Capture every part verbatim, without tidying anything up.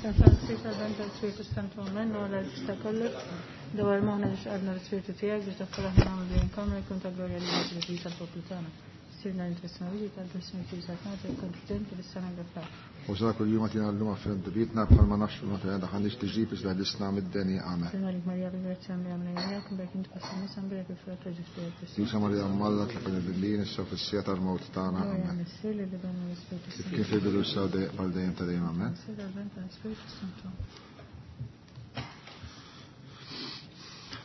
F'isem tal-Missier tal-Iben tal-Ispirtu Santu Amen, u għal ta' kollox. Dawar moħħna biex għadna l-Ispirtu tiegħek biex daħħal aħna nagħmlu din il-kamra jkun ta' glorja lil Ġesù tal-poplu tagħna. Sirna l-intessuna viġi tal-persuni tiżat nagħti konfidenti bis-sena għafar. U sa kull jum għatina l-lum għaffin dubitna bħalma nafx ma ta' daħanix tiġib iżda disna mid-deni għame. Sena lik Marija bil-grazzja għamli għamli għamli berk inti passi nisa berk il-frott ta' Ġesù Kristu. Jusa Marija Malla tlaqna bil-lin issa fis-sija tal-mewt tagħna. Glorja Amen. Missier li l-Iben u l-Ispirtu Kif Santu. kien fil-bidu issa u dejjem għal dejjem ta' dejjem amen. Missier l-Iben tal-Ispirtu Santu.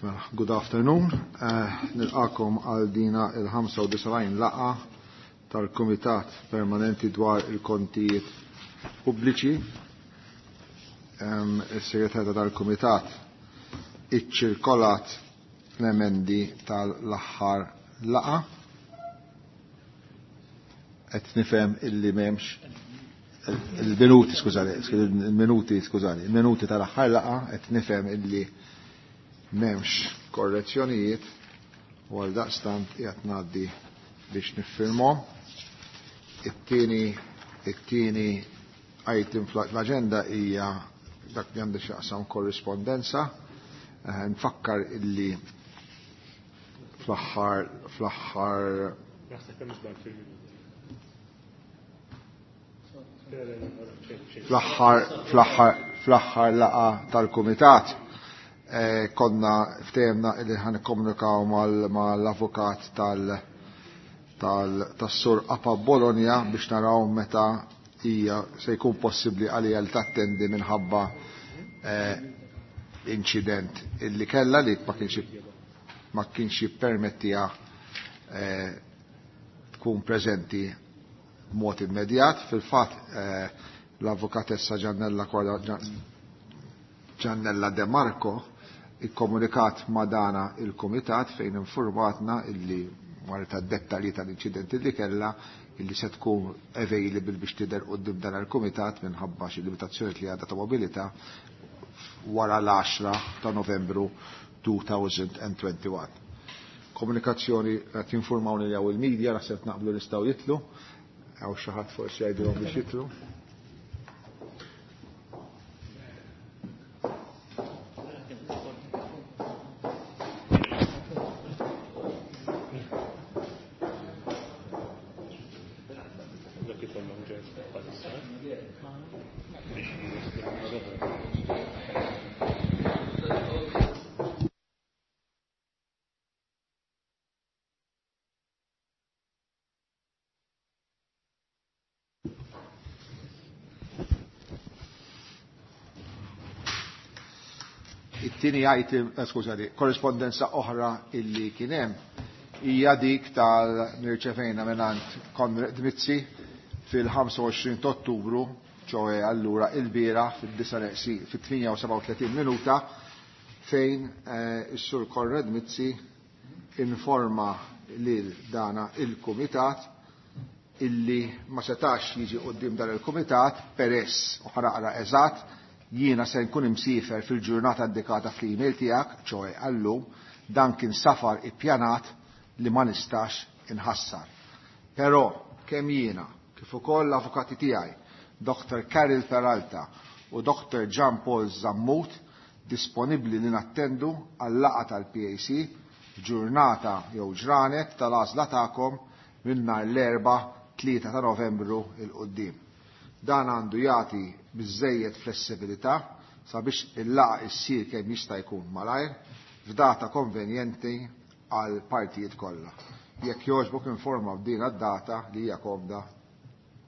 Mela, good afternoon. Eh, Nilqakom għal dina il-ħamsa u disgħin laqa tal-Kumitat Permanenti dwar il-Kontijiet Pubbliċi. Em, Is-Segretarja tal-Kumitat iċċirkolat l-emendi tal-aħħar laqa. Qed nifhem illi m'hemmx il-minuti, skużani, il-minuti, skużani, il-minuti tal-aħħar laqa qed nifhem illi m'hemmx korrezzjonijiet u għal daqstant qiegħed ngħaddi biex niffirmhom. It-tieni it-tieni item fl-aġenda hija dak li għandu x'jaqsam korrispondenza. Eh, Nfakkar illi fl-aħħar fl-aħħar Naħseb hemm żball fil-minuti. fl-aħħar fl-aħħar fl-aħħar laqa tal-kumitat eh, konna ftehemna illi ħan nikkomunikaw mal-avukat tal tal tas-sur Apa Bologna biex naraw meta hija se jkun possibbli għalija li tattendi minħabba eh, inċident illi kellha li ma kienx ma kienx jippermettiha eh, tkun preżenti b'mod immedjat. Fil-fatt eh, l-avukatessa Giannella Korda Giannella De Marco ikkomunikat ma' dana il-kumitat fejn informatna illi wara tad-dettalji tal-inċident illi kellha illi se tkun available biex tidher quddiem dan il-kumitat minħabba xi limitazzjoni li għadha ta' mobilità wara l-għaxra ta' Novembru elfejn u wieħed u għoxrin. Komunikazzjoni qed jinformawni li hawn il-media naħseb naqblu nistgħu jitlu, hawn xi ħadd forsi jgħidilhom biex jitlu. Dak ikollhom ġest bħalissa. Biex jislu l-oħra. It-tieni item, eh, skużani, korrispondenza oħra illi kien hemm hija dik tal-nirċevejna mingħand Konrad Mizzi fil-ħamsa u għoxrin ta' Ottubru, ċoe allura il-bieraħ fid-disa neqsi fit-tmienja u sebgħa u tletin minuta, fejn, eh, is-Sur Konrad Mizzi informa lil dana il-Kumitat illi ma setax jiġi quddiem dan il-Kumitat peress u ħaraqra eżatt jiena se nkun imsiefer fil-ġurnata indikata fl-email tiegħek, ċoe għallum, dan kien safar ippjanat li ma nistax inħassar. Però kemm jiena kif ukoll l-avukati tiegħi, Doktor Karol Peralta u Doktor Jean Paul Zammut, disponibbli li nattendu għal-laqgħa tal-P A C f'ġurnata jew ġranet tal-għażla tagħkom minn nhar l-Erbgħa tlieta ta' Novembru il quddiem. Dan għandu jagħti biżżejjed flessibilità sabiex il-laqgħa issir kemm jista' jkun malajr f'data konvenjenti għal partijiet kollha. Jekk jogħġbok informa b'din id-data li hija komda,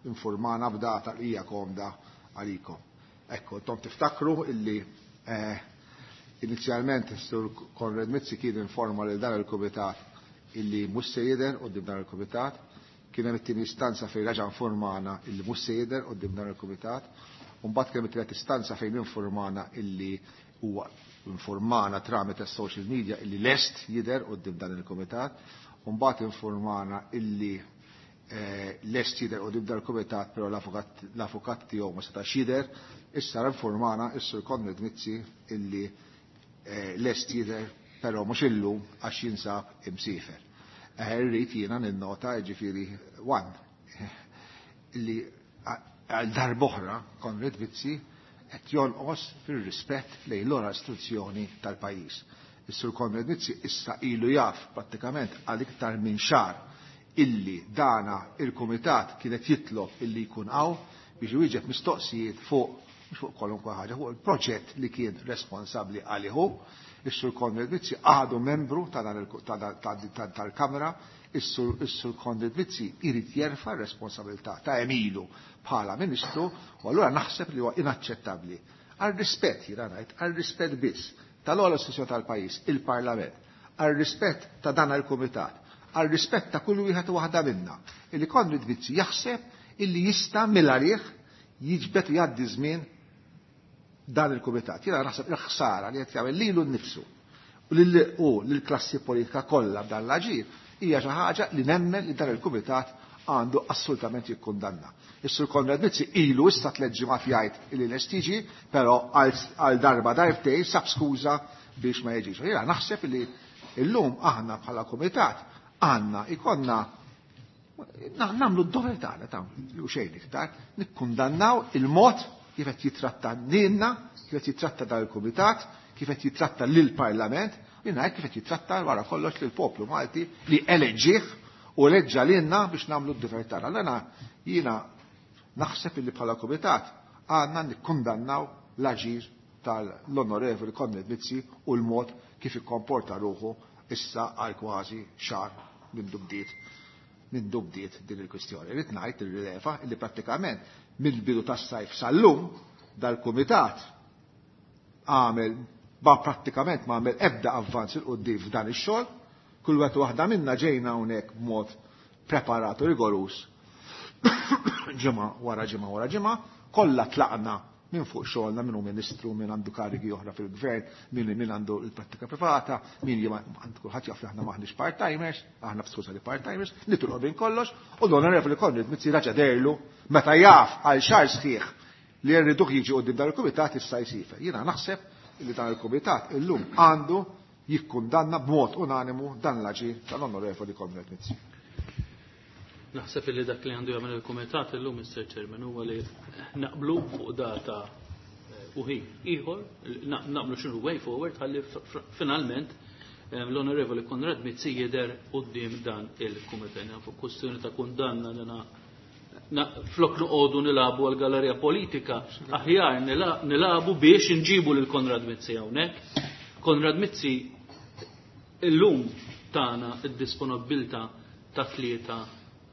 informana b'data li hija komda għalikom. Ekku, intom tiftakru illi, eh, inizjalment is-Sur Konrad Mizzi kien informa lil dan il-kumitat illi mhux se jidher quddiem dan il-kumitat, kien hemm it-tieni istanza fejn reġa' informana illi mhux se jidher quddiem dan il-kumitat, u mbagħad kien hemm it-tielet istanza fejn informana illi huwa informana tramite social media illi lest jidher quddiem dan il-kumitat, u mbagħad informana illi, eh, lest jidher quddiem dan il-kumitat, però l-avukat, l-avukat tiegħu ma setax jidher, issa informana is-Sur Konrad Mizzi illi, eh, lest jidher, però mhux illum għax jinsab imsiefer. Eh, irrid jiena ninnota, jiġifieri one, illi għal darb'oħra Konrad Mizzi qed jonqos fir-rispett lejn l-ora istituzzjoni tal-pajjiż. Is-Sur Konrad Mizzi issa ilu jaf prattikament għal iktar minn xahar illi dana il-kumitat kienet jitlob illi jkun hawn biex iwieġeb mistoqsijiet fuq mhux fuq kwalunkwe ħaġa, fuq il-proġett li kien responsabbli għalih. Is-Sur Konrad Mizzi għadu membru tal-Kamra, is-Sur Konrad Mizzi irid jerfa' r-responsabilità ta' emilu bħala Ministru, u allura naħseb li huwa inaċċettabbli. Għal rispett jiena ngħid, għal rispett biss tal-ogħla istituzzjoni tal-pajjiż, il-Parlament, għal rispett ta' dan il-Kumitat, għal rispett ta' kull wieħed u waħda minna, illi Konrad Mizzi jaħseb illi jista' mill-għalih jiġbed u jgħaddi żmien dan il-kumitat. Jiena naħseb il-ħsara li qed jagħmel lilu nnifsu u lill-klassi politika kollha b'dan l-aġir hija xi ħaġa li nemmen li dan il-kumitat għandu assolutament jikkundanna. Is-Sur Konrad Mizzi ilu issa tliet ġimgħat jgħid li lest jiġi, però għal darba darbtejn sab skuża biex ma jiġix. Jiena naħseb li llum aħna bħala kumitat għandna ikonna nagħmlu d-dover tagħna ta' u xejn iktar, nikkundannaw il-mod kif qed jitratta lilna, kif qed jitratta dan il-kumitat, kif qed jitratta lill-Parlament, u ngħid kif qed jitratta wara kollox lill-poplu Malti li eleġġih u eleġġa lilna biex nagħmlu d-dover tagħna. Allura jiena naħseb illi bħala kumitat għandna nikkundannaw l-aġir tal-Onorevoli Konrad Mizzi u l-mod kif ikkomporta ruħu issa għal kważi xahar minn bdiet minn bdiet din il-kwistjoni. Irrid ngħid irrileva li prattikament mill-bidu tas-sajf sal-lum dal-kumitat għamel ba prattikament ma għamel ebda avvanz il quddiem f'dan ix-xogħol. Kull wieħed waħda minna ġejna hawnhekk b'mod preparat u rigorus ġimgħa wara ġimgħa wara ġimgħa, kollha tlaqna minn fuq xogħolna, min hu ministru, min għandu karigi oħra fil-gvern, min min għandu l-prattika privata, min għandu kulħadd jaf li aħna maħniex part-timers, aħna f'skuża li part-timers, nitilqu bin kollox, u l-Onorevoli Konrad Mizzi raġa' derlu meta jaf għal xahar sħiħ li rriduh jiġi quddiem dan il-kumitat issa jsifer. Jiena naħseb li dan il-kumitat illum għandu jikkundanna b'mod unanimu dan l-aġir tal-Onorevoli Konrad Mizzi. Naħseb li dak li għandu jagħmel il-kumitat illum, Mister Chairman, huwa li naqblu fuq data u ħin ieħor, naqblu x'inhu way forward ħalli finalment l-Onorevoli Konrad Mizzi jidher quddiem dan il-kumitat. Fuq kwestjoni ta' kundanna li flok noqogħdu nilagħbu għal gallerija politika, aħjar nilagħbu biex inġibu lil Konrad Mizzi hawnhekk. Konrad Mizzi illum tagħna id-disponibilità ta' tlieta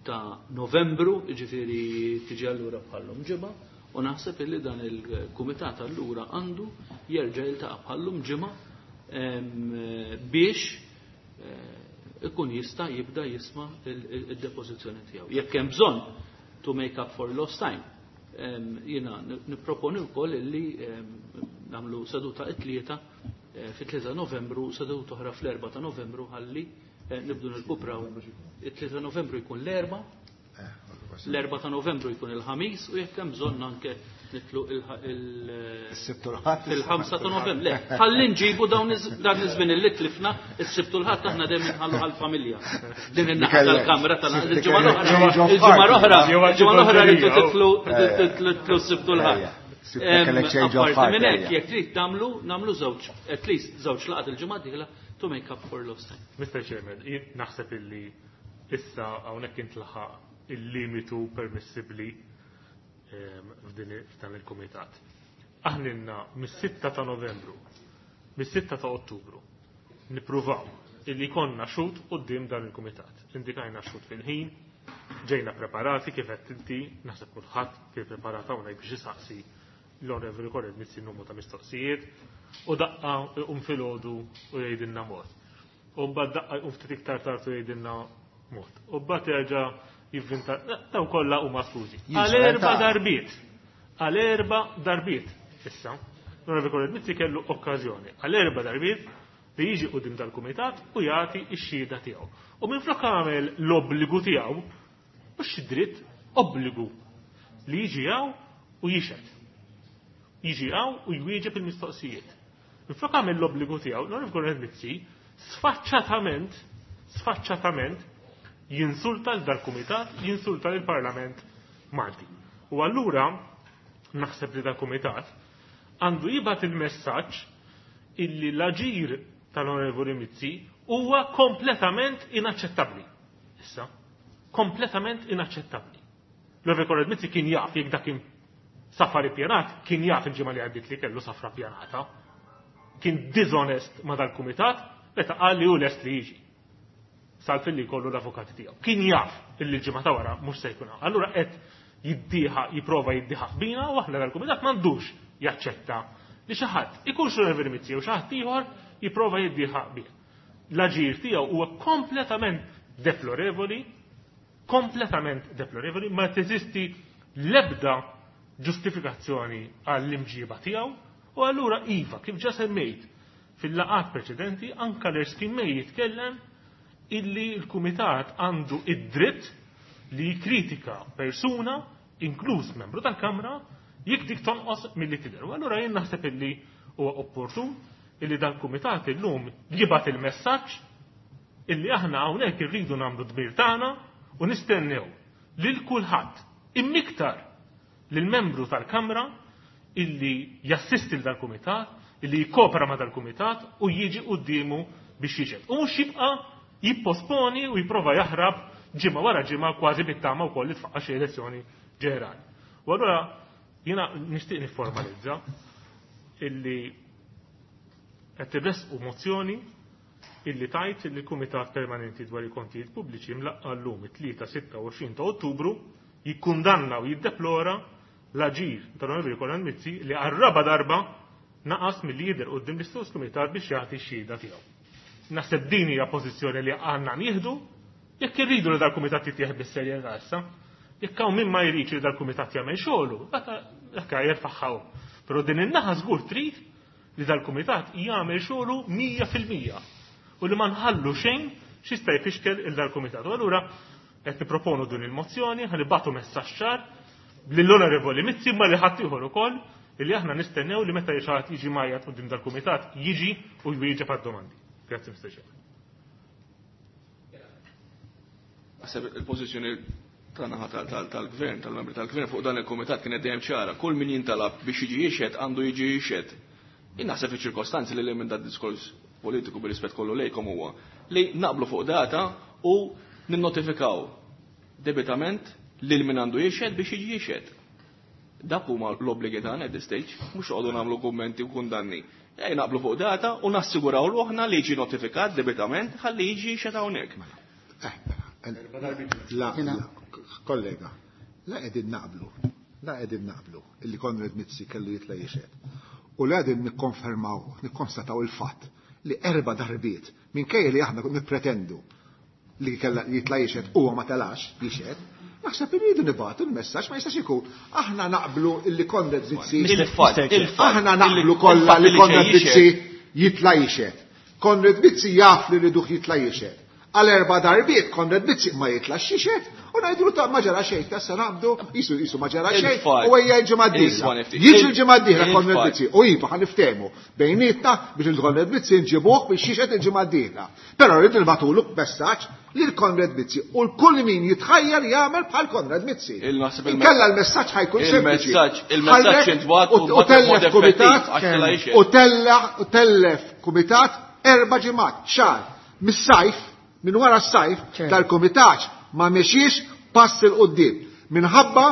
ta' Novembru, ġifieri tiġi allura bħallum ġimgħa, u naħseb illi dan il-kumitat allura għandu jerġa' jiltaqa' bħallum ġimgħa biex ikun jista' jibda jisma' id-depożizzjoni tiegħu. Jekk hemm bżonn to make up for lost time, jiena nipproponi wkoll illi nagħmlu seduta it-tlieta fit-tlieta Novembru, seduta oħra fl-erba' ta' Novembru ħalli nibdu nirkupraw. It-tlieta Novembru jkun l-erba', l-erba' ta' Novembru jkun il-ħamis, u jekk hemm bżonn anke nitlu il-ħamsa ta' Novembru. Le, ħalli nġibu dawn iż-żmien li tlifna is-Sibt u l-Ħadd aħna dejjem inħallu għall-familja. Din in-naħa tal-kamra tal-ġimgħa l-oħra, il-ġimgħa l-oħra, il-ġimgħa l-oħra rridu titlu titlu s-Sibt u l-Ħadd. Apparti minn hekk, jekk trid tagħmlu nagħmlu żewġ, at least żewġ laqgħat il-ġimgħa dieħla to make up for lost time. Mister Chairman, naħseb illi issa hawnhekk intlaħaq il-limitu permissibbli f'dan il-kumitat. Aħna mis-sitta ta' Novembru, mis-sitta ta' Ottubru, nippruvaw illi konna xhud quddiem dan il-kumitat. Indikajna xhud fil-ħin, ġejna preparati kif qed inti, naħseb kulħadd kien preparat hawnhekk biex isaqsi l-Onorevoli Konrad Mizzi numru ta' mistoqsijiet, u daqqa um filgħodu u jgħidilna mod. U mbagħad daqqa jqum ftit iktar tard u jgħidilna mod. U mbagħad jerġa' jivvinta, daw kollha huma skużi. Għal erba' darbiet. Għal erba' darbiet. Issa, l-Onorevoli Konrad Mizzi kellu okkażjoni għal erba' darbiet li jiġi quddiem dal-kumitat u jagħti x-xhieda tiegħu. U minflok għamel l-obbligu tiegħu, mhux dritt, obbligu li jiġi hawn u jixhed. Jiġi hawn u jwieġeb il-mistoqsijiet. Minflok għamel l-obbligu tiegħu, l-Onorevoli Konrad Mizzi sfaċċatament, sfaċċatament jinsulta l dal-kumitat, jinsulta l-Parlament Malti. U allura naħseb li dal-kumitat Għandu jibgħat il-messaġġ illi l-aġir tal-Onorevoli Mizzi huwa kompletament inaċċettabbli. Issa, kompletament inaċċettabbli. L-Onorevoli Konrad Mizzi kien jaf jekk dak kien safari pjanat, kien jaf il-ġimgħa li għaddiet li kellu safra pjanata. Kien dishonest ma dal-kumitat meta qal li hu lest li jiġi. Salf li jkollu l-avukati tiegħu. Kien jaf illi l-ġimgħa ta' wara mhux se jkun hawn. Allura qed jiddieħa jipprova jiddieħa bina u aħna dal-kumitat m'għandux jaċċetta li xi ħadd ikun xi Onorevoli Mizzi jew xi ħadd ieħor jipprova jiddieħa bih. L-aġir tiegħu huwa kompletament deplorevoli, kompletament deplorevoli, ma teżisti l-ebda ġustifikazzjoni għall-imġiba tiegħu u allura iva, kif ġa semmejt fil-laqat preċedenti, anka l-Erskine May jitkellem illi l-Kumitat għandu id-dritt li jikritika persuna, inkluż membru tal-Kamra, jekk dik tonqos milli tidher. U allura jien naħseb illi huwa opportun illi dal-Kumitat illum jibgħat il-messaġġ illi aħna hawnhekk irridu nagħmlu dmir tagħna u nistennew lil kulħadd immiktar lil membru tal-Kamra illi jassisti dal-Kumitat, illi jikopera ma dal-Kumitat u jiġi quddiemu biex jiġed. U mhux jibqa' jipposponi u jipprova jaħrab ġimgħa wara ġimgħa kważi bit-tama wkoll li tfaqqa xi elezzjoni ġenerali. U allura jiena nixtieq nifformalizza illi qed irresqu mozzjoni illi tajt li l-Kumitat Permanenti dwar il-Kontijiet Pubbliċi mlaqqa llum it-tlieta sitta u għoxrin ta' Ottubru jikkundanna u jiddeplora l-aġir tal-Onorevoli Konrad Mizzi li għar-raba darba naqas milli jidher quddiem l-istess kumitat biex jagħti x-xhieda tiegħu. Naħseb din hija pożizzjoni li għandna nieħdu jekk irridu li dal-kumitat jittieħed bis-serjetà issa. Jekk hawn min ma jridx li dal-kumitat jagħmel xogħlu, dak jerfagħha. Però din in-naħa żgur trid li dal-kumitat jagħmel xogħlu mija fil-mija u li ma nħallu xejn x'jista' jfixkel il dal-kumitat. U allura qed nipproponu din il-mozzjoni, ħa nibgħatu messaġġ ċar lill-Onorevoli Mizzi ma li ħadd ieħor ukoll illi aħna nistennew li meta xi ħadd jiġi majjat quddiem dal-kumitat jiġi u jwieġeb għad-domandi. Grazzi, Mister Chairman. Naħseb il-pożizzjoni tagħna tal-gvern, tal-membri tal-gvern fuq dan il-kumitat kienet dejjem ċara. Kull min jintalab biex jiġi jixhed għandu jiġi jixhed. Jien naħseb fiċ-ċirkostanzi li li minn dat diskors politiku bir-rispett kollu lejkom huwa li naqblu fuq data u ninnotifikaw debitament lil min għandu jixhed biex jiġi jixhed. Dak huma l-obbligi tagħna at this stage, mhux noqogħdu nagħmlu kummenti u kundanni. Ej naqblu fuq data u nassiguraw ruħna li jiġi notifikat debitament ħalli jiġi jixhed hawnhekk. La, kollega, la qegħdin naqblu, la qegħdin naqblu illi Konrad Mizzi kellu jitla' jixhed. U la qegħdin nikkonfermaw, nikkonstataw il-fatt li erba' darbiet minkejja li aħna nippretendu li kella jitla' jixhed huwa ma telax jixhed, naħseb irridu nibgħatu l-messaġġ ma jistax ikun. Aħna naqblu illi Konrad Mizzi Il-fatt, il-fatt, aħna naqblu kollha li il-fatt li Konrad xejn Mizzi jixhed. jitla' jixhed. Konrad Mizzi jaf li rriduh jitla' jixhed. Għal erba' darbiet Konrad Mizzi ma jitlax jixhed u ngħidulu ta' ma ġara xejn, ta' sa naqbdu, jisu jisu ma ġara xejn, Il-fatt. u ejja l-ġimgħa d-dieħla. Isma' nifti. Jiġi l-ġimgħa d-dieħla Il-fatt. Konrad Mizzi u iva ħa niftehmu bejnietna biex il-Konrad Mizzi nġibuh biex jixhed il-ġimgħa d-dieħla. Però rrid nibgħatulu messaġġ lil Konrad Mizzi u l-kull min jitħajjar jagħmel bħal Konrad Mizzi. Il-naħseb il- Inkella l-messaġġ ħajkun sempliċi. Il-messaġġ, il-messaġġ Ħallek intbagħat u u u tellef mod effettiv kumitat għax tela' jixhed. u tella u tellef kumitat erba' ġimgħat, xahar, mis-sajf, minn wara s-sajf Ċer. tal-kumitat ma mexiex pass il quddiem minħabba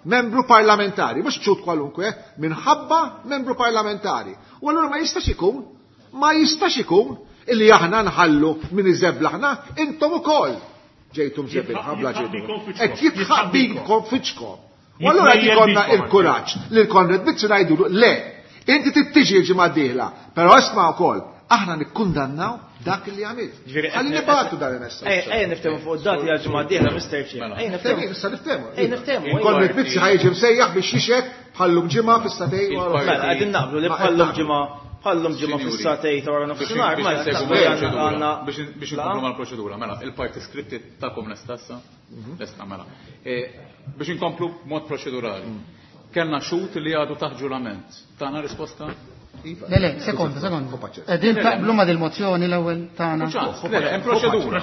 membru parlamentari, mhux ċut kwalunkwe, minħabba membru parlamentari. U allura ma jistax ikun, ma jistax ikun illi aħna nħallu min iżeblaħna intom ukoll ġejtum żebilħa bla Jitħaq ġejtum. bikom fiċkom. Qed jitħaq Jitħaq bikom. bikom fiċkom. U allura qed Jitmejjel ikollna bikom, il-kuraġġ li l-Konrad Mizzi ngħidulu le, inti tittiġi l-ġimgħa d-dieħla, però isma' wkoll aħna nikkundannaw dak li għamilt. Ġifieri, Ħalli qed- nibgħatu dan il-messaġġ. Ejja, ejja niftehmu fuq id-dati għal ġimgħa d-dieħla, Mister Chair. Mela. Ejja niftehmu. Ftehmu, issa niftehmu. Ejja niftehmu, ejja. Konrad Mizzi ħajġi msejjaħ biex jixhed bħallum ġimgħa fis-satej wara. Mela, qegħdin naqblu li Ma bħallum qed ġimgħa bħallum ġimgħa Sinjuri, fis-satej ta' wara nofsinhar, biex mela, insegwu naqblu li mal-proċedura, għandna biex biex inkomplu mal-proċedura, mela, il-parti skritti tagħkom lesta issa? Lesta, mela. E, biex inkomplu mod proċedurali. Kellna xhud li għadu taħt ġurament. Tana risposta? Le, le, sekonda, sekonda. Qegħdin taqblu ma' dil-mozzjoni l-ewwel tagħna. Le, le, hemm proċedura.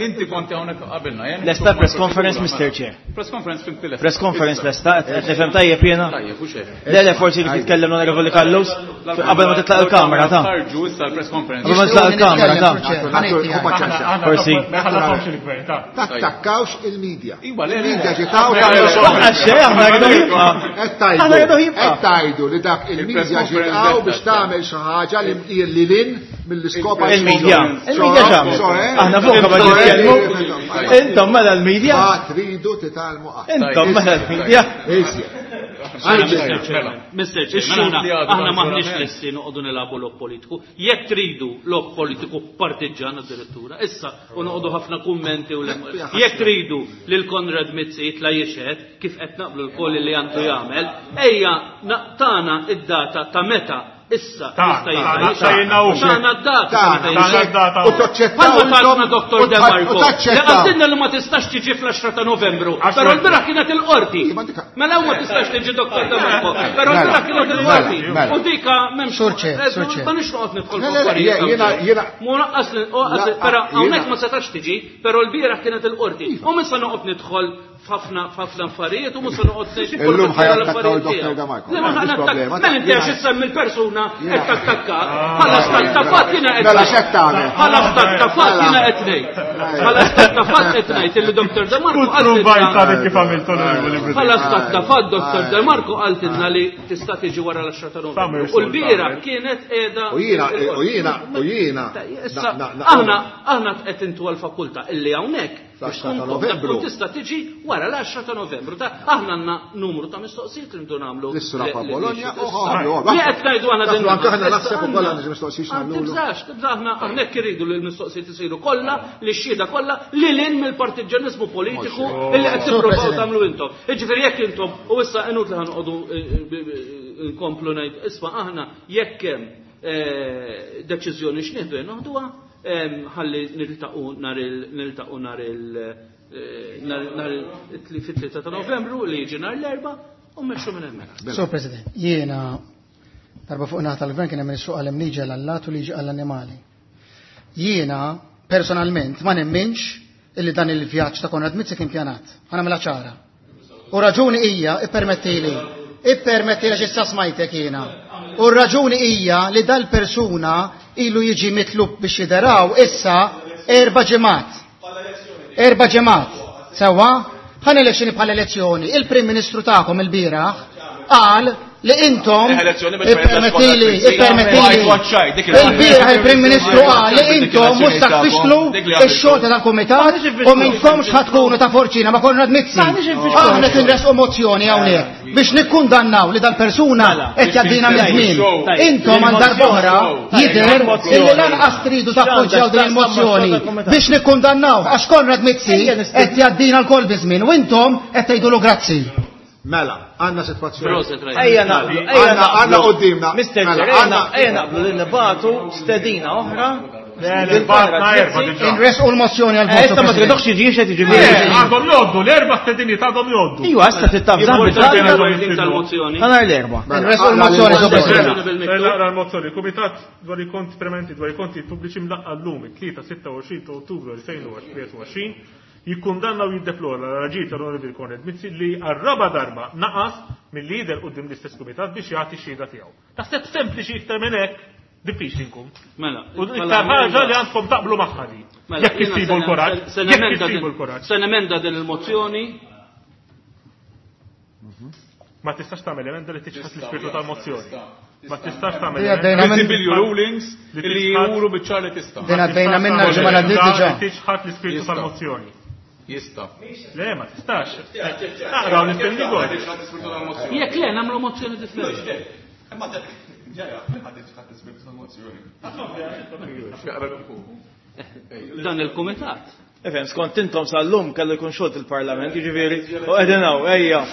Inti konti hawnhekk qabilna. Lesta press conference, Mister Chair. Press conference fim tilef. Press conference lesta, qed nifhem tajjeb jiena. Tajjeb, u xejn. Le, le, forsi li titkellem l-Onorevoli Callus qabel ma titlaq il-kamera ta'. Ħarġu issa l-press conference. Qabel ma titlaq il-kamera ta'. Forsi. Tattakkawx il-medja. Iva, le, le. Il-medja ġitaw Għax aħna rridu jibqa'. Aħna rridu jibqa'. Qed tgħidu li dak il-medja ġitaw biex tagħmel xi ħaġa li li lin mill-iskop Il-medja. Il-medja x'għamlet? Aħna fuq qabel nitkellmu. Intom mela l-medja. Ma tridu titgħallmu qatt. Intom mela l-medja. Mister Chairman, aħna maħniex lesti noqogħdu nilagħbu logħob politiku. Jekk tridu logħob politiku partiġġan addirittura, issa u noqogħdu ħafna kummenti u jekk tridu lil Konrad Mizzi jitla' jixhed kif qed naqblu l-koll li għandu jagħmel, ejja naqtana id-data ta' meta issa jista' jitla' Tana d-data. U taċċettaw. Palma talna Doktor De Marco. Li għaddinna li ma tistax tiġi fl-għaxra ta' Novembru. Però l-bira kienet il-qorti. Mela ma tistax tiġi Doktor De Marco. Però l-bira kienet il-qorti. U dika m'hemmx. Ma nix noqgħod nidħol f'affarijiet. Mu naqqas però hawnhekk ma setax tiġi, però l-bira kienet il-qorti. U minn sa noqgħod nidħol f'ħafna f'ħafna affarijiet u mhux se noqgħod ngħid. Illum ħajattakkaw il-Doktor De Marco. Le ma ħanattakka. Mela inti għax issemmi l-persuna qed tattakka. Bħala stat ta' fatt jiena qed. Mela x'qed tagħmel? Bħala stat ta' fatt jiena qed ngħid. Bħala stat ta' fatt qed ngħid illi Doktor De Marco qaltilna. Bħala stat ta' fatt Doktor De Marco qaltilna li tista' tiġi wara l-għaxra ta' Novembru. U l-bieraħ kienet qiegħda. U jiena u jiena u jiena. Aħna aħna qed intu għall-fakultà illi hawnhekk l-għaxra ta' Novembru. Tista' tiġi wara l-għaxra ta' Novembru. Aħna għandna numru ta' mistoqsijiet li ndu nagħmlu. L-Srafa Bologna u Li qed ngħidu aħna din. Anke aħna naħseb ukoll għandna mistoqsijiet nagħmlu. Tibżax, tibżax aħna hawnhekk iridu li l-mistoqsijiet isiru kollha, li x-xhieda kollha, li lil mill-partiġġjaniżmu politiku illi qed tippruvaw tagħmlu intom. Jiġifieri jekk intom u issa inut li ħanqogħdu nkomplu ngħid isma' aħna jekk hemm deċiżjoni x'nieħdu noħduha ħalli niltaqgħu nhar il niltaqgħu nhar il nhar fit-tlieta ta' Novembru li jiġi nhar l-Erbgħa u mmexxu minn hemmhekk. Sur President, jiena darba fuq naħa tal-gvern kien hemm ministru qal hemm liġi għall-allat u liġi għall-annimali. Jiena personalment ma nemminx illi dan il-vjaġġ ta' Konrad Mizzi kien pjanat. Ħa nagħmilha ċara. U raġuni hija, ippermettili, ippermettili għax issa smajtek jiena. U raġuni hija li dal-persuna ilu jiġi mitlub biex jideraw issa erba' ġimgħat. Erba' ġimgħat. Sewwa, ħa elezzjoni bħala elezzjoni. Il-Prim Ministru tagħkom il-bieraħ qal li intom ippermettili, ippermettili. Il-bieraħ il-Prim Ministru qal li intom mhux tfixklu x-xogħol tal-kumitat u minnkomx ħa tkunu ta' forċina ma' Konrad Mizzi. Aħna tinresqu mozzjoni hawnhekk biex nikkundannaw li dal-persuna qed jgħaddina miż-żmien. Intom għal darb'oħra jidher illi lanqas tridu tappoġġjaw din il-mozzjoni biex nikkundannaw għax Konrad Mizzi qed jgħaddina l-kol biż-żmien u intom qed tgħidulu grazzi. Mela, għandna sitwazzjoni. Ejja naqblu, ejja għandna qudiemna. Mister Chair, ejja naqblu li nibagħtu stedina oħra. Inresqu l-mozzjoni għal Issa ma tridokx jiġi xed jiġi. Għandhom jgħoddu, l-erba' stedini għandhom jgħoddu. Iwa, issa tittafżam tal-mozzjoni. Ħanar l-erba'. Inresqu l-mozzjoni, Sur President. Naqra l-mozzjoni. Kumitat dwar il-konti permanenti dwar il-konti pubbliċi mlaqqa llum it-tlieta sitta u għoxrin ta' Ottubru elfejn u tlieta u għoxrin jikkundanna u jiddeplora l-raġil tal-Onorevoli Konrad Mizzi li għar-raba' darba naqas mill-lider quddiem l-istess kumitat biex jagħti x-xhieda tiegħu. Taħseb sempliċi iktar minn hekk diffiċli nkun. Mela, U iktar ħaġa li għandkom taqblu magħha di. Jekk issibu l-kuraġġ, jekk issibu l-kuraġġ. Se nemenda din il-mozzjoni. Ma tistax tagħmel emenda li tiċħad l-ispirtu tal-mozzjoni. Ma tistax tagħmel Dejja emenda. dejna minn- Visibilju rulings Li li tiċħad- juru biċ-ċar li tista'. Dejna dejna minna l-ġimgħa li għaddiet diġà. Li tiċħad l-ispirtu Jista'. tal-mozzjoni. Jista'. Le, ma tistax. Aqraw l-istem Jekk le nagħmlu mozzjoni differenti. Dan il-kumitat. Ifhem, skont intom sal-lum kellu jkun xogħol il-Parlament, jiġifieri, u qegħdin hawn, ejja.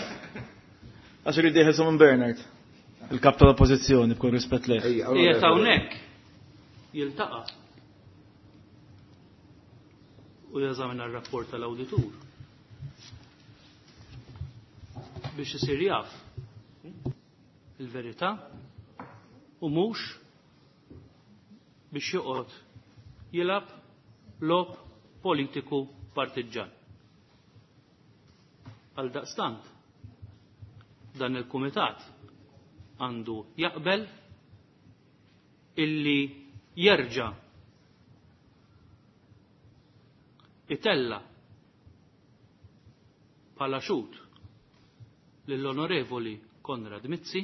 Għax irid jeħilsu minn Bernard, il-kap tal-Oppożizzjoni b'kull rispett lejh. Qiegħed hawnhekk jiltaqa' u jeżamina r-rapport tal-awditur biex isir jaf il-verità U mhux biex joqgħod jilgħab logħob politiku partiġġan. Għal daqstant, dan il-kumitat għandu jaqbel illi jerġa' itella bħala xhud lill-Onorevoli Konrad Mizzi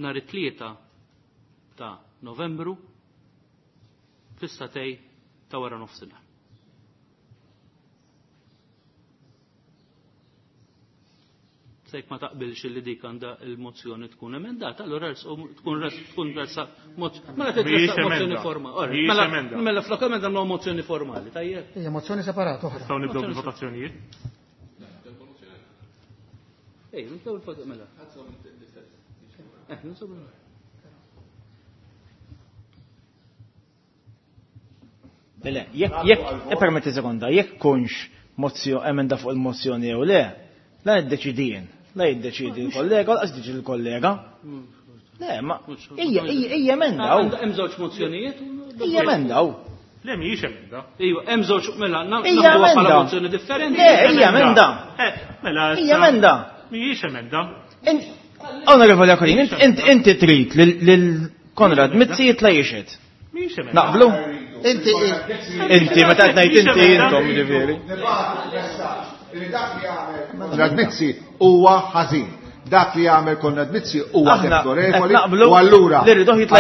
nhar it-tlieta ta' Novembru fis-satej ta' wara nofsinhar. Sejk ma taqbilx li dik għandha il-mozzjoni tkun emendata, allura tkun tkun resa mela titressaq mozzjoni formali. Mela mela flok emenda nagħmlu mozzjoni formali, tajjeb. Hija mozzjoni separata oħra. Nistgħu nibdew bil-votazzjonijiet. Ej, nibdew il-votazzjoni mela. Eh, nibdew Le, jekk jekk permetti sekonda, jekk kunx mozzjoni emenda fuq il-mozzjoni jew le, la niddeċidi jien. La jiddeċidi l-kollega, laqas jiddeċidi l-kollega. Le, ma hija hija emenda. Hemm żewġ mozzjonijiet. Hija emenda. Le mhijiex emenda. Iva, hemm żewġ mela nagħmluha bħala mozzjoni differenti. Le, hija emenda. Mela hija emenda. Mhijiex emenda. Onorevoli Akolin, inti trid lil Konrad Mizzi jitla' jixhed. Mhijiex emenda. Naqblu? Inti Inti meta qed ngħid inti intom ġifieri. Konrad Mizzi huwa ħażin. Dak li jagħmel Konrad Mizzi huwa deplorevoli. U allura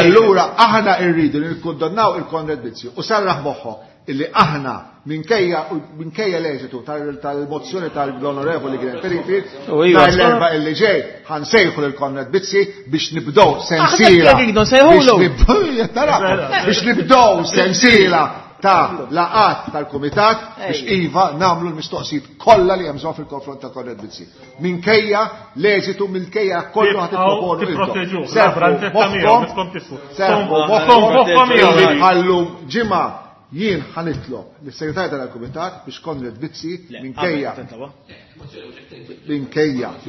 allura aħna rridu li nikkundannaw il-Konrad Mizzi u sarraħ moħħok illi aħna minkejja minkejja l-eżitu tal-mozzjoni tal-Onorevoli Glenn Perifil nhar l-erba' illi ġej ħansejħu lil Konrad Mizzi biex nibdew sensiela biex nibdew sensiela ta' laqat tal-Kumitat biex iva nagħmlu l-mistoqsijiet kollha li hemm bżonn fil-konfront ta' Konrad Mizzi. Minkejja l-eżitu minkejja kollu ħadd tipproponu intom. Serħu moħħkom ħallu ġimgħa jien ħanitlob lis-segretarju tal-Kumitat biex Konrad Mizzi minkejja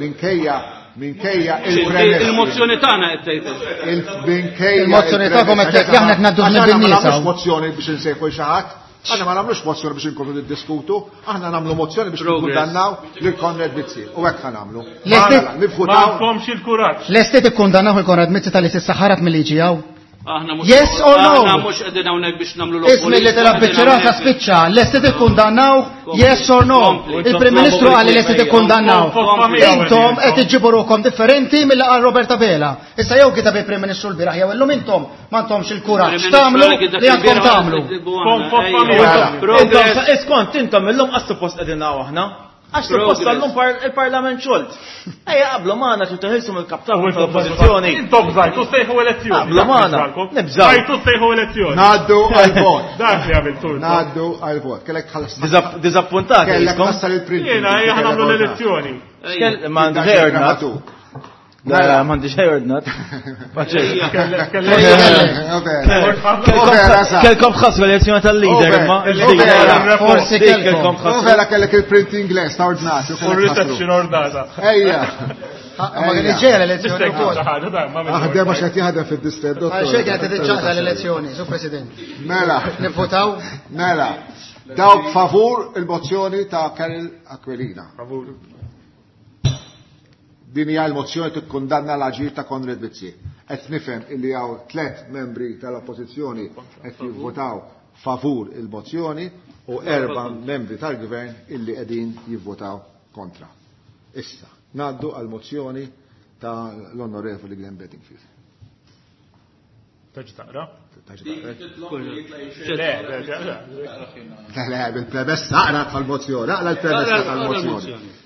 minkejja minkejja minkejja il-premessa. Il-mozzjoni tagħna qed tgħid. Minkejja il-mozzjoni tagħkom qed tgħid aħna qed ngħaddu żmien bin-nies. Ma nagħmlux mozzjoni biex insejħu xi ħadd. Aħna ma nagħmlux mozzjoni biex inkomplu niddiskutu, aħna nagħmlu mozzjoni biex nikkundannaw lil Konrad Mizzi. U hekk ħanagħmlu. Ma għandkomx il-kuraġġ. Lesti tikkundannaw il-Konrad Mizzi tal-li s'issa ħarab mill-liġi hawn? Aħna mhux Yes or no? Aħna mhux qegħdin hawnhekk biex nagħmlu l Ismi li tilab biċ-ċirasa spiċċa, lesti tikkundannaw yes or no? Il-Prim Ministru qal li lesti tikkundannaw. Intom qed iġġibu ruhkom differenti milli qal Robert Abela. Issa jew kitab il-Prim Ministru l-bieraħ jew illum intom m'għandhomx il-kuraġġ tagħmlu li għandkom tagħmlu. Intom iskont intom illum qas suppost qegħdin hawn aħna. Għax suppost tal-lum il-Parlament xolt. Ejja qablu magħna trid teħilsu mill-kaptan tal-oppożizzjoni. Intom bżajtu sejħu elezzjoni. Qablu magħna. Nibżgħu. Bżajtu sejħu elezzjoni. Ngħaddu għall-vot. Dak li għamiltu. Ngħaddu għall-vot. Kellek tħallas. Diżappuntati. Kellek tassal il-print. Jiena ejja nagħmlu l-elezzjoni. Ma għandi xejn ordnat. La, m'għandi xejn ordnat. Kelkom ħasru l-elezzjoni tal-leader imma. Forsi kelkom. Vera kellek il-print Ingliż ta' ordnat. U reception ordnata. Ejja. Ma kien iġġejja l-elezzjoni wkoll. Aħdem għax qed jaħdem fid-distret, dottor. Għal xejn kienet tiċċaqla l-elezzjoni, Sur President. Mela. Nivvotaw? Mela. Dawk favur il-mozzjoni ta' Karol Aquilina. Favur. Din hija l-mozzjoni tikkundanna l-aġir ta' Konrad Mizzi. Qed nifhem illi hawn tliet membri tal-Oppożizzjoni qed jivvotaw favur il-mozzjoni u erba' membri tal-Gvern illi qegħdin jivvotaw kontra. Issa, ngħaddu għall-mozzjoni tal-Onorevoli Glenn Bedingfield. Taġi taqra? Taġi taqra? Le, le, bil-premessa aqra tal-mozzjoni, aqra l-premessa tal-mozzjoni.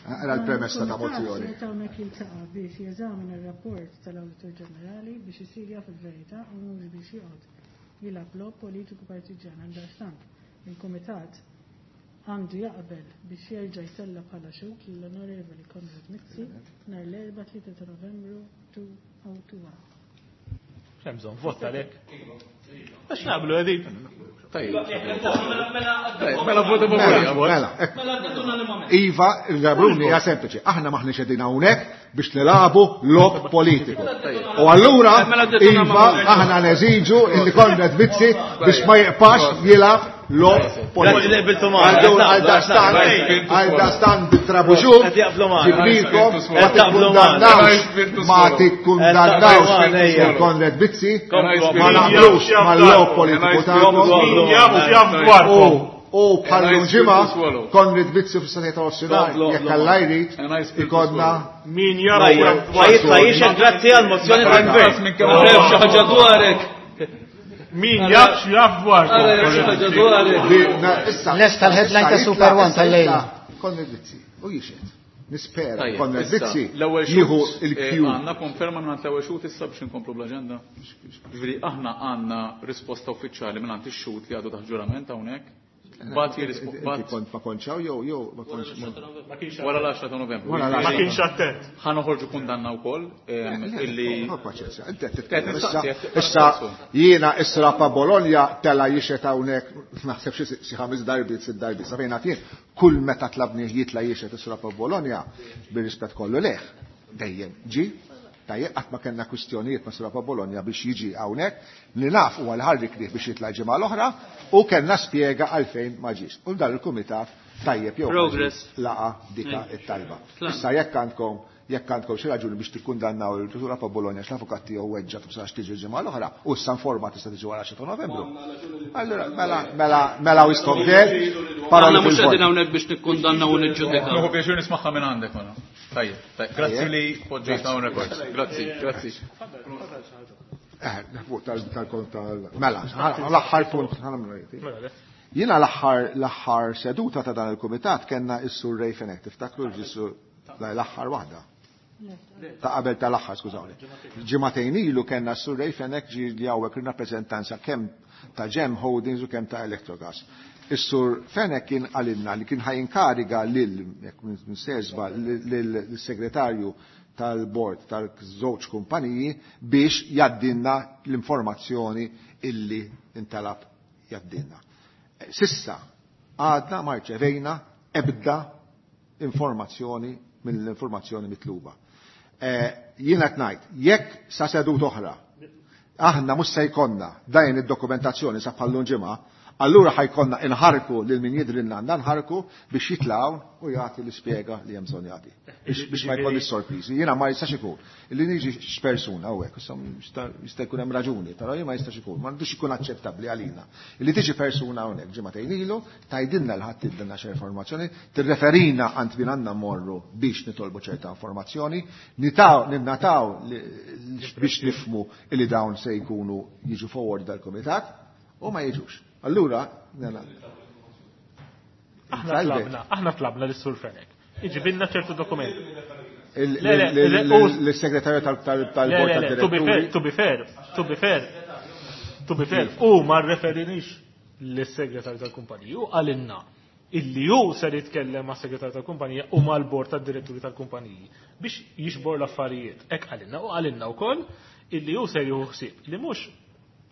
Aqra l-premessa ta' mozzjoni. Meta hawnhekk jiltaqa' biex jeżamina r-rapport tal-Awditur Ġenerali biex isir jaf il-verità u mhux biex joqgħod jilgħab logħob politiku partiġjan. Għaldaqstant il-Kumitat għandu jaqbel biex jerġa' jtella' bħala xhud lill-Onorevoli Konrad Mizzi nhar l-erba' tlieta ta' Novembru elfejn u wieħed. X'hemm bżonn vot għalhekk? Għax naqblu qegħdin. Tajjeb. Mela vota Mela, Iva, il-Gabruni hija sempliċi. Aħna maħniex qegħdin hawnhekk biex nilagħbu logħob politiku. U allura iva aħna neżiġu illi Konrad Mizzi biex ma jibqax jilgħab logħob politiku. Għal dastan bit-trabuxu, ġiblilkom, ma tikkundannawx, ma tikkundannawx il-Konrad Mizzi, ma naqblux mal-logħob politiku tagħkom. U bħallu ġimgħa Konrad Mizzi fis-sena ta' Ossinari, jekk Alla jrid, ikollna min jara jitla' jixhed grazzi għall-mozzjoni tal-Gvern. Xi ħaġa dwarek. Min jaf x'jaf dwarek. Lest tal-headline ta' Super One tal-lejla. Konrad Mizzi, u jixhed. Nispera Konrad Mizzi jieħu il-Q. Għandna konferma minn l-ewwel xhud issa biex inkomplu bl-aġenda. Ġifieri aħna għandna risposta uffiċjali minn ix-xhud li għadu taħt ġurament hawnhekk. Bat jirrispondi. Kont ma konċaw jew jew ma konċ. Wara l-għaxra ta' Novembru. Ma kienx attent. Ħa noħorġu kundanna wkoll illi. Paċenzja, inti qed titkellem issa. Issa jiena issa pa Bologna tela jixet hawnhekk naħseb xi ħames darbiet sitt darbiet sa fejn jien kull meta tlabni jitla' jixet issa pa Bologna bir-rispett kollu leh dejjem ġi. Tajjeb, qatt ma kellna kwistjonijiet ma' Sura Bologna biex jiġi hawnhekk, li naf huwa l-ħarrik li biex jitla' ġimgħa l-oħra u kellna spjega għalfejn ma ġiex. U dan il-kumitat tajjeb jew laqa dika it-talba. Issa jekk għandkom jekk għandkom xi raġuni biex tikkundannaw il-Sura Bologna x'l-avukat tiegħu weġġa tibsax tiġi ġimgħa l-oħra u issa nforma tista' tiġi wara xi ta' Novembru. Allura mela mela mela wiskom der. Aħna mhux qegħdin hawnhekk biex nikkundannaw u niġġudikaw. Nieħu pjaċir nismagħha minn għandek mela. Tajjeb, grazzi li poġġejtna on record. Grazzi, grazzi. Eh, fuq tal-kont tal mela, l-aħħar punt ħanamlu. Jiena l-aħħar l-aħħar seduta ta' dan il-kumitat kellna s-Sur Ray Fenech, tiftakru ġissu l-aħħar waħda. Ta' qabel tal-aħħar, skużawni. Ġimagħtejn ilu kellna s-Sur Ray Fenech ġie li hawnhekk ir-rappreżentanza kemm ta' Gem Holdings u kemm ta' Electrogas. Is-Sur Fenech kien qalilna li kien ħajinkariga lil jekk minn lill-segretarju tal-bord tal-żewġ kumpaniji biex jaddinna l-informazzjoni illi intalab jaddinna. Sissa għadna ma rċevejna ebda informazzjoni mill-informazzjoni mitluba. Jiena qed ngħid, jekk sa sedut oħra aħna mhux se jkollna dajn id-dokumentazzjoni sa bħallum ġimgħa, allura ħajkonna inħarku lil min jidrilna għandna nħarku biex jitlgħu u jagħti l-ispjega li hemm bżonn jagħti. Biex ma jkollix sorpriżi. Jiena ma jistax ikun. Illi niġi x'persuna hawnhekk, issa jista' jkun hemm raġuni, però jien ma jistax ikun, m'għandux ikun aċċettabbli għalina. Illi tiġi persuna hawnhekk ġimagħtejn ilu, tgħidilna l ħadd tidilna xi informazzjoni, tirreferina għand min għandna mmorru biex nitolbu ċerta informazzjoni, nitaw ninnataw biex nifhmu illi dawn se jkunu jiġu forward dal-kumitat u ma jiġux. Allura, aħna tlabna, aħna tlabna lis-Sur Fenech. Iġibilna ċertu dokumenti. L-segretarju tal-bord tad-diretturi. To be fair, to be fair, to be fair, u ma rreferinix lis-segretarju tal-kumpaniji u qalilna illi hu ser jitkellem ma' segretarju tal-kumpanija u mal-bord tad-diretturi tal-kumpaniji biex jixbor l-affarijiet. Hekk qalilna u qalilna wkoll illi hu ser jieħu ħsieb li mhux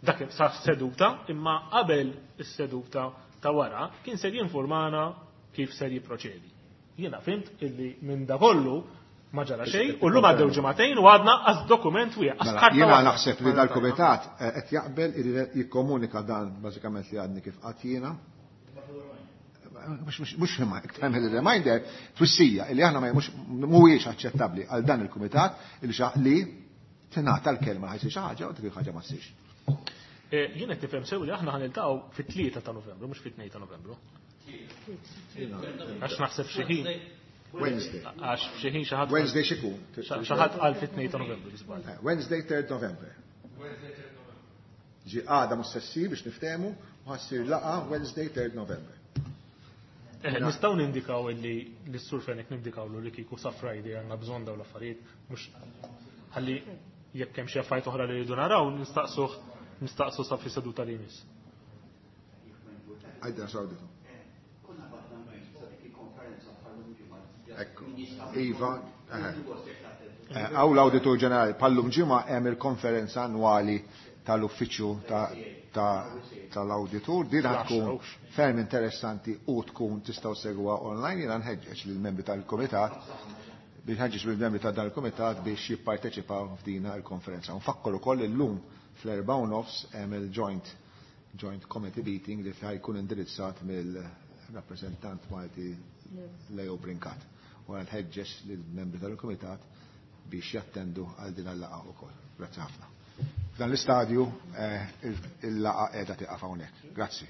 dak sa seduta, imma qabel is-seduta ta' wara kien ser jinformana kif ser jipproċedi. Jiena fimt illi minn da kollu ma ġara xejn u llum għaddew ġimagħtejn u għadna qas dokument wieħed. Jiena naħseb li dal-kumitat qed jaqbel jikkomunika dan bażikament li għadni kif qatt jiena. Mhux tagħmel il-reminder twissija illi aħna mhuwiex aċċettabbli għal dan il-kumitat illi li tingħata l-kelma ħajsir xi ħaġa u dik il-ħaġa ma ssirx. Jien qed nifhem sew li aħna ħaniltaqgħu fit-tlieta ta' Novembru, mhux fit-tnejn ta' Novembru. Għax naħseb xi ħin. Wednesday. Għax xi ħin xi ħadd. Wednesday x'ikun? Xi ħadd qal fit-tnejn ta' Novembru biżball. Wednesday third November. Ġi għada mhux se ssir biex niftehmu u ħassir laqgħa Wednesday third November. Nistgħu nindikaw illi lis-Sur Fenech nindikawlu li kieku sa Friday għandna bżonn dawn l-affarijiet mhux ħalli jekk hemm xi affarijiet oħra li rridu naraw nistaqsuh nistaqsu sa fi seduta li jmiss. Għajda sawditu. Ekku, Iva, għaw l-Awditur Ġenerali, pallum ġimgħa hemm il-konferenza annwali tal-uffiċċju tal-awditur. Din tkun ferm interessanti u tkun tistgħu segwa online. Jiena nħeġġeġ lill-membri tal-kumitat biex nħeġġeġ lill-membri ta' dan il-kumitat biex jipparteċipaw f'dina il-konferenza. Nfakkar ukoll illum fl-erba' u nofs hemm il-joint joint committee meeting li jkun indirizzat mill-rappreżentant Malti Leo Brincat. U nħeġġeġ lill-membri tal-kumitat biex jattendu għal din il-laqgħa wkoll. Grazzi ħafna. F'dan l-istadju il-laqgħa qiegħda tieqaf hawnhekk. Grazzi.